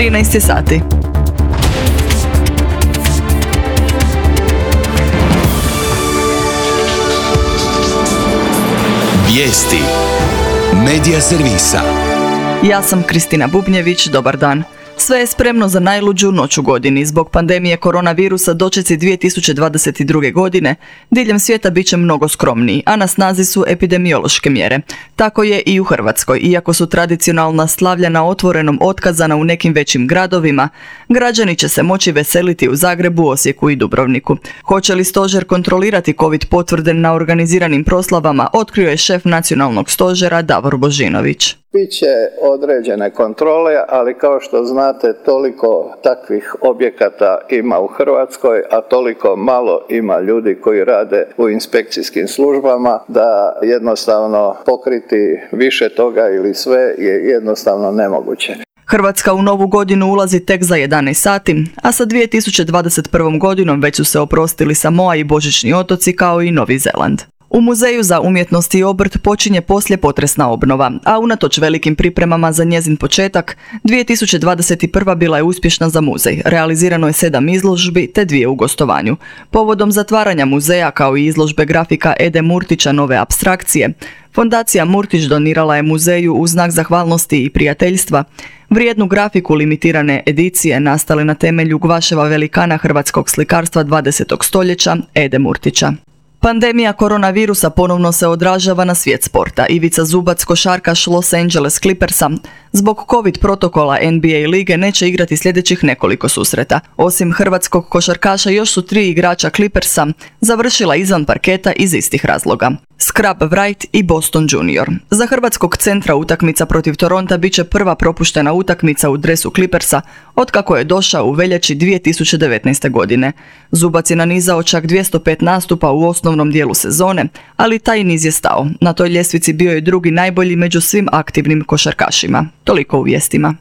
13 sati. Vijesti Medija servisa. Ja sam Kristina Bubnjević, dobar dan. Sve je spremno za najluđu noć u godini. Zbog pandemije koronavirusa dočeci 2022. godine diljem svijeta bit će mnogo skromniji, a na snazi su epidemiološke mjere. Tako je i u Hrvatskoj. Iako su tradicionalna slavlja na otvorenom otkazana u nekim većim gradovima, građani će se moći veseliti u Zagrebu, Osijeku i Dubrovniku. Hoće li stožer kontrolirati COVID potvrde na organiziranim proslavama, otkrio je šef nacionalnog stožera Davor Božinović. Biće određene kontrole, ali kao što znate, toliko takvih objekata ima u Hrvatskoj, a toliko malo ima ljudi koji rade u inspekcijskim službama, da jednostavno pokriti više toga ili sve je jednostavno nemoguće. Hrvatska u novu godinu ulazi tek za 11 sati, a sa 2021. godinom već su se oprostili Samoa i Božićni otoci kao i Novi Zeland. U Muzeju za umjetnost i obrt počinje poslijepotresna obnova, a unatoč velikim pripremama za njezin početak, 2021. bila je uspješna za muzej. Realizirano je 7 izložbi te 2 u gostovanju. Povodom zatvaranja muzeja kao i izložbe grafika Ede Murtića Nove apstrakcije, Fondacija Murtić donirala je muzeju u znak zahvalnosti i prijateljstva vrijednu grafiku limitirane edicije nastale na temelju Gvaševa velikana hrvatskog slikarstva 20. stoljeća Ede Murtića. Pandemija koronavirusa ponovno se odražava na svijet sporta. Ivica Zubac, košarkaš Los Angeles Clippersa, zbog COVID protokola NBA lige neće igrati sljedećih nekoliko susreta. Osim hrvatskog košarkaša, još su 3 igrača Clippersa završila izvan parketa iz istih razloga. Scrub Wright i Boston Junior. Za hrvatskog centra utakmica protiv Toronta bit će prva propuštena utakmica u dresu Clippersa otkako je došao u veljači 2019. godine. Zubac je nanizao čak 205 nastupa u osnovnom dijelu sezone, ali taj niz je stao. Na toj ljestvici bio je drugi najbolji među svim aktivnim košarkašima. Toliko u vijestima.